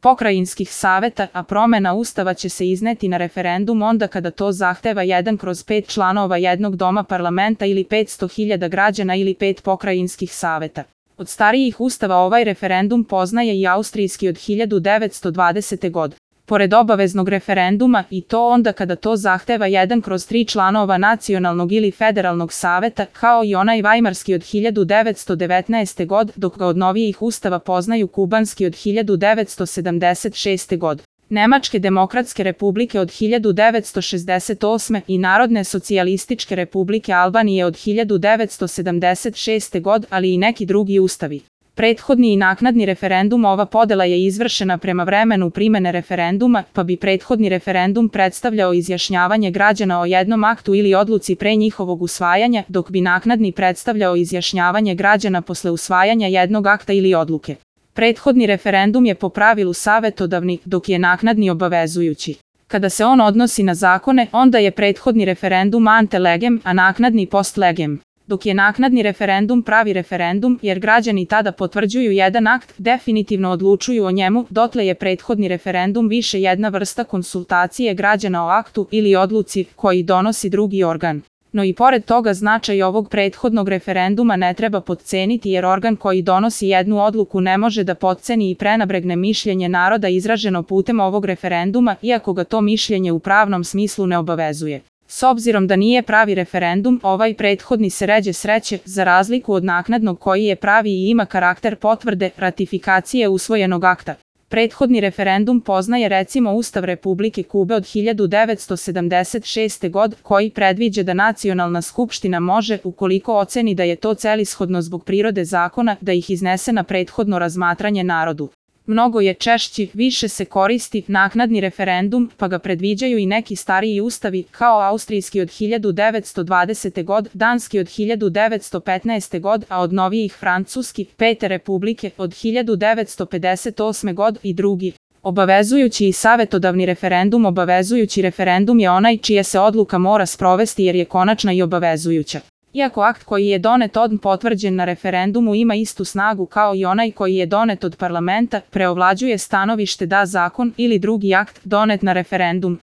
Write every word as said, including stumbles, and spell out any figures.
pokrajinskih saveta, a promena Ustava će se izneti na referendum onda kada to zahteva jedan kroz pet članova jednog doma parlamenta ili petsto hiljada građana ili pet pokrajinskih saveta. Od starijih ustava ovaj referendum poznaje i austrijski od hiljadu devetsto dvadesete. godine. Pored obaveznog referenduma, i to onda kada to zahteva jedan kroz tri članova nacionalnog ili federalnog saveta, kao i onaj vajmarski od hiljadu devetsto devetnaeste. godine, dok ga od novijih ustava poznaju kubanski od hiljadu devetsto sedamdeset šeste. godine. Nemačke demokratske republike od hiljadu devetsto šezdeset osme. i Narodne socijalističke republike Albanije od hiljadu devetsto sedamdeset šeste. godine, ali i neki drugi ustavi. Prethodni i naknadni referendum. Ova podela je izvršena prema vremenu primene referenduma, pa bi prethodni referendum predstavljao izjašnjavanje građana o jednom aktu ili odluci pre njihovog usvajanja, dok bi naknadni predstavljao izjašnjavanje građana posle usvajanja jednog akta ili odluke. Prethodni referendum je po pravilu savetodavni, dok je naknadni obavezujući. Kada se on odnosi na zakone, onda je prethodni referendum ante legem, a naknadni post legem. Dok je naknadni referendum pravi referendum, jer građani tada potvrđuju jedan akt, definitivno odlučuju o njemu, dotle je prethodni referendum više jedna vrsta konsultacije građana o aktu ili odluci koji donosi drugi organ. No i pored toga značaj ovog prethodnog referenduma ne treba potceniti jer organ koji donosi jednu odluku ne može da potceni i prenabregne mišljenje naroda izraženo putem ovog referenduma, iako ga to mišljenje u pravnom smislu ne obavezuje. S obzirom da nije pravi referendum, ovaj prethodni se ređe sreće, za razliku od naknadnog koji je pravi i ima karakter potvrde, ratifikacije usvojenog akta. Prethodni referendum poznaje recimo Ustav Republike Kube od hiljadu devetsto sedamdeset šeste. godine koji predviđa da Nacionalna skupština može, ukoliko oceni da je to celishodno zbog prirode zakona, da ih iznese na prethodno razmatranje narodu. Mnogo je češći, više se koristi naknadni referendum, pa ga predviđaju i neki stariji ustavi, kao austrijski od hiljadu devetsto dvadesete. godine, danski od hiljadu devetsto petnaeste. godine, a od novijih francuski, Pete republike, od hiljadu devetsto pedeset osme. godine i drugi. Obavezujući i savetodavni referendum. Obavezujući referendum je onaj čija se odluka mora sprovesti jer je konačna i obavezujuća. Iako akt koji je donet odmah potvrđen na referendumu ima istu snagu kao i onaj koji je donet od parlamenta, preovlađuje stanovište da zakon ili drugi akt donet na referendum